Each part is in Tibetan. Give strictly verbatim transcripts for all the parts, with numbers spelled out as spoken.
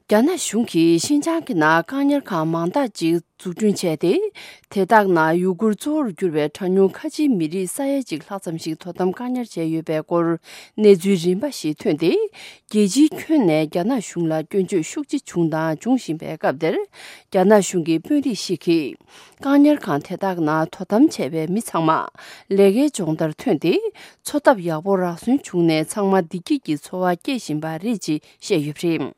རྒྱ་ནག་གཞུང་གིས་ཤིན་ཅང་གི་ནང་བཀག་ཉར་ཁང་མང་དག་ཅིག་འཛུགས་སྐྲུན་བྱས་ཏེ། དེ་དག་ནང་ཡུ་གུར་གཙོ་བོར་གྱུར་པའི་གྲངས་ཉུང་ཁ་ཆེའི་མི་རིགས་ས་ཡ་གཅིག་ལྷག་ཙམ་ཞིག་དོ་དམ་བཀག་ཉར་བྱས་ཡོད་པའི་སྐོར་གནས་ཚུལ་རིམ་པ་ཞིག་ཐོན་ཏེ། རྒྱལ་སྤྱིའི་ཁྱོན་ནས་རྒྱ་ནག་གཞུང་ལ་སྐྱོན་བརྗོད་ཤུགས་ཆེ་བྱུང་དང་འབྱུང་བཞིན་པའི་སྐབས་དེར། རྒྱ་ནག་གཞུང་གི་དཔོན་རིགས་ཤིག་གིས། བཀག་ཉར་ཁང་དེ་དག་ནང་དོ་དམ་བྱས་པའི་མི་ཚང་མ་ལས་ཀའི་སྦྱོང་བརྡར་ཐོན་ཏེ། འཚོ་ཐབས་ཡག་པོ་རག་སོན་བྱུང་ནས། ཚང་མ་བདེ་སྐྱིད་ཀྱི་འཚོ་བ་སྐྱེལ་བཞིན་པ་རེད་ཅེས་བཤད་ཡོད་པ་རེད།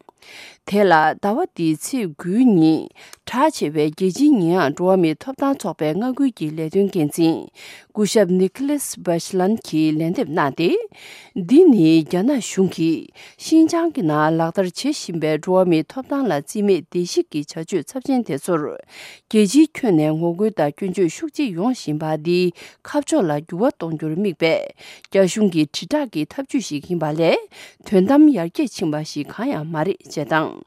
དེ་ལ་ཟླ་བ་འདིའི་ཚེས་དགུའི་ཉིན་གྲགས་ཆེ་བའི་རྒྱལ་སྤྱིའི་ཉེས་ཡངས་འགྲོ་བ་མིའི་ཐོབ་ཐང་ཚོགས་པའི་མངའ་ཁུལ་གྱི་ལས་དོན་འགན་འཛིན་སྐུ་ཞབས་ནི་ཁི་ལེས་བྷ་ཤི་ལན་གྱིས་ལན་འདེབས་གནང་སྟེ། འདི་ནི་རྒྱ་ནག་གཞུང་གིས་ཤིན་ཅང་གི་ནང་ལག་བསྟར་བྱེད་བཞིན་པའི་འགྲོ་བ་མིའི་ཐོབ་ཐང་ལ་རྩིས་མེད་བརྡལ་བཤིག་གི་བྱ་སྤྱོད་ཚབས་ཆེན་དེ་ཚོར། རྒྱལ་སྤྱིའི་ཁྱོན་ནས་ངོ་རྒོལ་དང་སྐྱོན་བརྗོད་ཤུགས་ཆེ་ཡོང་བཞིན་པ་འདིའི་ཁ་ཕྱོགས་ལ་འགྱུར་བ་གཏོང་རྒྱུར་དམིགས་པའི་རྒྱ་གཞུང་གི་དྲིལ་བསྒྲགས་ཀྱི་ཐབས་ཇུས་ཤིག་ཡིན་པ་ལས། དོན་དམ་ཡར་རྒྱས་ཕྱིན་པ་ཞིག་གང་ཡང་མ་རེད་ཅེས་དང་།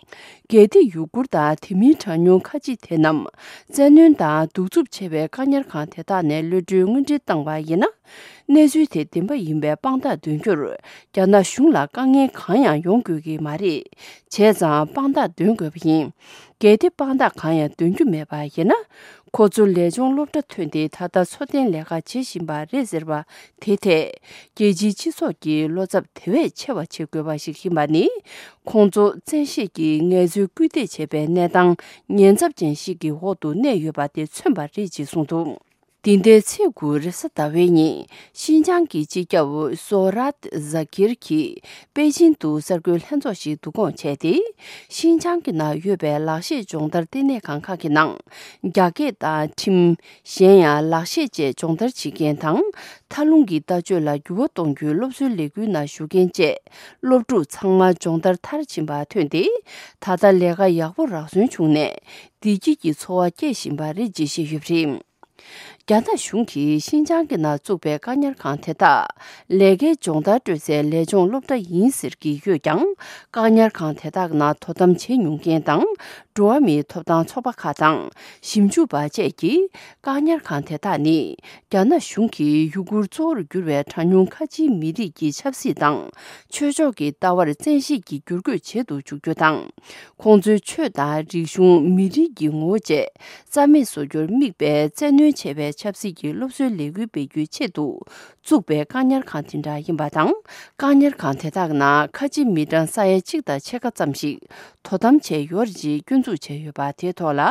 གལ་ཏེ་ཡུ་གུར་དང་དེ་མིན་གྲངས་ཉུང་ཁ་ཆེ་དེ་རྣམས་བཙན་གནོན་དང་གདུག་རྩུབ་ཆེ་བའི་བཀག་ཉར་ཁང་དེ་དག་ནས་གློད་གྲོལ་དངོས་འབྲེལ་བཏང་བ་ཡིན་ན། གནས་ཚུལ་དེ་བདེན་པ་ཡིན་པའི་དཔང་རྟགས་འདོན་རྒྱུར་རྒྱ་ནག་གཞུང་ལ་དཀའ་ངལ་གང་ཡང་ཡོང་དགོས་ཀྱི་མ་རེད། བྱས་ཙང་དཔང་རྟགས་འདོན་དགོས་པ་ཡིན། གལ་ཏེ་དཔང་རྟགས་གང་ཡང་འདོན་རྒྱུ་མེད་པ་ཡིན་ན། ཁོ་ཚོ་ལས་སྦྱོང་སློབ་གྲྭ་ཐོན་ཏེ་ད་ལྟ་འཚོ་རྟེན་ལས་ཀ་བྱེད་བཞིན་པ་རེད་ཟེར་བ་དེ་ཐད། རྒྱལ་སྤྱིའི་སྤྱི་ཚོགས་ཀྱིས་བློ་འཚབ་དེ་བས་ཆེ་བ་བྱེད་དགོས་པ་ཞིག་ཡིན་པ་ནི། ཁོང་ཚོ་བཙན་ཤེད་ཀྱིས་ངལ་རྩོལ་སྐུལ་འདེད་བྱེད་པའི་གནས་སྟངས་ཉེན་ཚབས་ཅན་ཞིག་གི་འོག་ཏུ་གནས་ཡོད་པ་དེ་མཚོན་པ་རེད་ཅེས་གསུངས་འདུག། འདི་ཟླའི་ཚེས་དགུ་རེས་གཟའ་ཟླ་བའི་ཉིན་ཤིན་ཅང་གི་སྤྱི་ཁྱབ་སོ་རཱད་ཛ་ཀིར་གྱིས་པེ་ཅིན་དུ་གསར་འགོད་ལྷན་ཚོགས་ཤིག་བསྡུ་སྐོང་བྱས་ཏེ། ཤིན་ཅང་གི་ནང་ཡོད་པའི་ལག་ཤེས་སྦྱོང་བརྡར་ལྟེ་གནས་ཁང་ཁག་གི་ནང་རྒྱ་སྐད་དང་ཁྲིམས། གཞན་ཡང་ལག་ཤེས་བཅས་སྦྱོང་བརྡར་བྱེད་མཁན་དང་། མཐའ་ལྷུང་གི་ལྟ་སྤྱོད་ལ་འགྱུར་བ་གཏོང་རྒྱུའི་སློབ་གསོའི་ལས་འགུལ་ནང་ཞུགས་མཁན་བཅས་སློབ་ཕྲུག་ཚང་མ་སྦྱོང་བརྡར་མཐར་ཕྱིན་པ་ཐོན་ཏེ། ད་ལྟ་ལས་ཀ་ཡག་པོ་རག་སོན་བྱུང་ནས། བདེ་སྐྱིད་ཀྱི་འཚོ་བ་སྐྱེལ་བཞིན་པ་རེད་ཅེས་བཤད་ཡོད་པ་རེད། རྒྱ་ནག་གཞུང་གིས་ཤིན་ཅང་གི་ནང་བཙུགས་པའི་བཀག་ཉར་ཁང་དེ་དག་ལས་ཀའི་སྦྱོང་བརྡར་སྤྲོད་སའི་ལས་སྦྱོང་སློབ་གྲྭ་ཡིན་ཟེར་གྱི་ཡོད་ཀྱང་། བཀག་ཉར་ཁང་དེ་དག་ནང་དོ་དམ་བྱེད་མྱོང་མཁན་དང་། འགྲོ་བ་མིའི་ཐོབ་ཐང་ཚོགས་པ་ཁག་དང་། ཞིབ་འཇུག་པ་བཅས་ཀྱིས་བཀག་ཉར་ཁང་དེ་དག་ནི། རྒྱ་ནག་གཞུང་གིས་ཡུ་གུར་གཙོ་བོར་གྱུར་བའི་གྲངས་ཉུང་ཁ་ཆེའི་མི་རིགས་ཀྱི་ཆབ་སྲིད་དང་། ཆོས་ཕྱོགས་ཀྱི་ལྟ་བར་བཙན་ཤེད་ཀྱིས་བསྒྱུར་བཀོད་བྱེད་དུ་འཇུག་རྒྱུ་དང་། ཁོང་ཚོའི་ཆོས་དང་རིག་གཞུང་། མི་རིགས་ཀྱི་ངོ་བོ་བཅས་རྩ་མེད་བཟོ་རྒྱུར་དམིགས་པའི་བཙན་གནོན་ཆེ་བའི་ཆབ་སྲིད་ཀྱི་སློབ་གསོའི་ལས་འགུལ་སྤེལ་རྒྱུའི་ཆེད་དུ། བཙུགས་པའི་བཀག་ཉར་ཁང་དེ་འདྲ་ཡིན་པ་དང་། བཀག་ཉར་ཁང་དེ་དག་ནང་ཁ་ཆེ་མི་གྲངས་ས་ཡ་གཅིག་དང་ཕྱེད་ཀ་ཙམ་ཞིག་དོ་དམ་བྱས་ཡོད་རེད་ཅེས་སྐྱོན་འཛུགས་བྱས་ཡོད་པ་དེའི་ཐོག་ལ།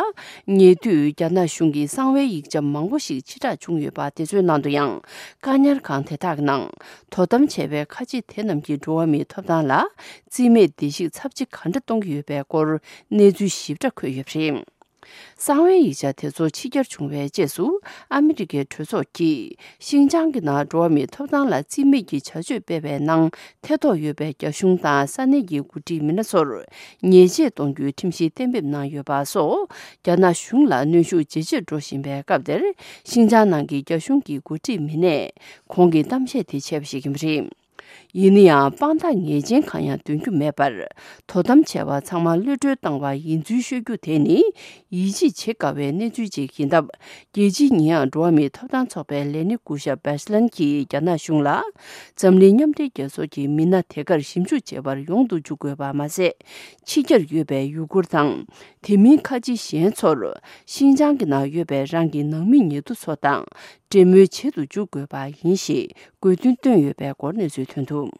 ཉེ་དུས་རྒྱ་ནག་གཞུང་གིས་གསང་བའི་ཡིག་ཆ་མང་པོ་ཞིག་ཕྱིར་བསྒྲགས་བྱུང་ཡོད་པ་དེ་ཚོའི་ནང་དུ་ཡང་། བཀག་ཉར་ཁང་དེ་དག་ནང་དོ་དམ་བྱས་པའི་ཁ་ཆེ་དེ་རྣམས་ཀྱིས་འགྲོ་བ་མིའི་ཐོབ་ཐང་ལ་རྩིས་མེད་བརྡལ་བཤིག་ཚབས་ཆེ་ག་འདྲ་གཏོང་གི་ཡོད་པའི་སྐོར་གནས་ཚུལ་ཞིབ་ཕྲ་འཁོད་ཡོད་པ་རེད། གསང་བའི་ཡིག་ཆ་དེ་ཚོ་ཕྱི་གྱར་བྱུང་བའི་རྗེས་སུ། ཨ་མི་རི་ཀའི་གྲོས་ཚོགས་ཀྱིས་ཤིན་ཅང་གི་ནང་འགྲོ་བ་མིའི་ཐོབ་ཐང་ལ་རྩིས་མེད་ཀྱི་བྱ་སྤྱོད་སྤེལ་བའི་ནང་ཐེ་གཏོགས་ཡོད་པའི་རྒྱ་གཞུང་དང་ས་གནས་ཀྱི་འགོ་ཁྲིད་མི་སྣ་ཚོར་ཉེས་ཆད་གཏོང་རྒྱུའི་ཁྲིམས་གཞི་གཏན་འབེབས་གནང་ཡོད་པ་སོགས། རྒྱ་ནག་གཞུང་ལ་གནོན་ཤུགས་ཇེ་ཆེར་འགྲོ་བཞིན་པའི་སྐབས་དེར། ཤིན་ཅང་ནང་གི་རྒྱ་གཞུང་གི་འགོ་ཁྲིད་མི་སྣས་ཁོང་གི་གཏམ་བཤད་དེ་བྱས་པ་ཞིག་ཡིན་པ་རེད། ཡིན་ན་ཡང་། དཔང་རྟགས་ངེས་ཅན་གང་ཡང་འདོན་རྒྱུ་མེད་པར། དོ་དམ་བྱས་པ་ཚང་མ་གློད་གྲོལ་བཏང་བ་ཡིན་ཚུལ་ཤོད་རྒྱུ་དེ་ནི། ཡིད་ཆེས་བྱེད་དཀའ་བའི་གནས་ཚུལ་ཅིག་ཡིན་སྟབས། རྒྱལ་སྤྱིའི་ཉེས་ཡངས་འགྲོ་བ་མིའི་ཐོབ་ཐང་ཚོགས་པའི་ལས་སྣེ་སྐུ་ཞབས་བྷེ་ཤི་ལན་གྱིས་རྒྱ་ནག་གཞུང་ལ། འཛམ་གླིང་མཉམ་འབྲེལ་རྒྱལ་ཚོགས་ཀྱི་མི་སྣ་དེ་གར་ཞིབ་འཇུག་བྱེད་པར་ཡོང་དུ་འཇུག་དགོས་པ་མ་ཟད། ཕྱི་རྒྱལ་ཡོད་པའི་ཡུ་གུར་དང་། དེ་མིན་ཁ་ཆེ་གཞན་ཚོར། ཤིན་ཅང་གི་ནང་ཡོད་པའི་རང་གི་ནང་མི་ཉེ་དུ་ཚོ་དང་། འབྲེལ་མོལ་བྱེད་དུ་འཇུག་དགོས་པ་ཡིན་ཞེས་དགོས་འདུན་བཏོན་ཡོད་པའི་སྐོར་གནས་ཚུལ་ཐོན་འདུག།